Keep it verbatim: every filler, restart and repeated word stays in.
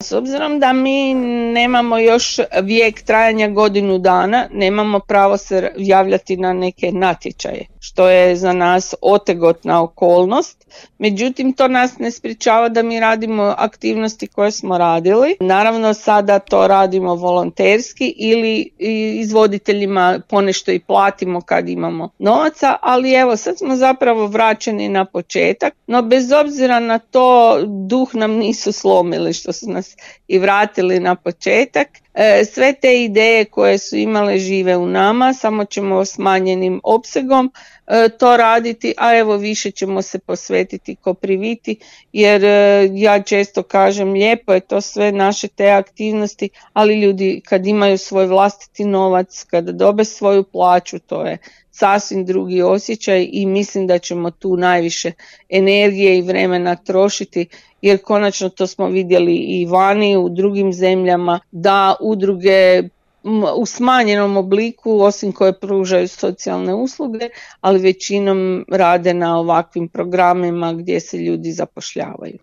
S obzirom da mi nemamo još vijek trajanja godinu dana, nemamo pravo se javljati na neke natječaje, što je za nas otegotna okolnost. Međutim, to nas ne sprječava da mi radimo aktivnosti koje smo radili. Naravno, sada to radimo volonterski ili izvoditeljima ponešto i platimo kad imamo novaca, ali evo, sad smo zapravo vraćeni na početak, no bez obzira na to duh nam nisu slomili što su nas i vratili na početak. Sve te ideje koje su imale žive u nama, samo ćemo smanjenim opsegom to raditi, a evo više ćemo se posvetiti Kopriviti, jer ja često kažem lijepo je to sve naše te aktivnosti, ali ljudi kad imaju svoj vlastiti novac, kada dobe svoju plaću, to je sasvim drugi osjećaj i mislim da ćemo tu najviše energije i vremena trošiti, jer konačno to smo vidjeli i vani u drugim zemljama da udruge u smanjenom obliku, osim koje pružaju socijalne usluge, ali većinom rade na ovakvim programima gdje se ljudi zapošljavaju.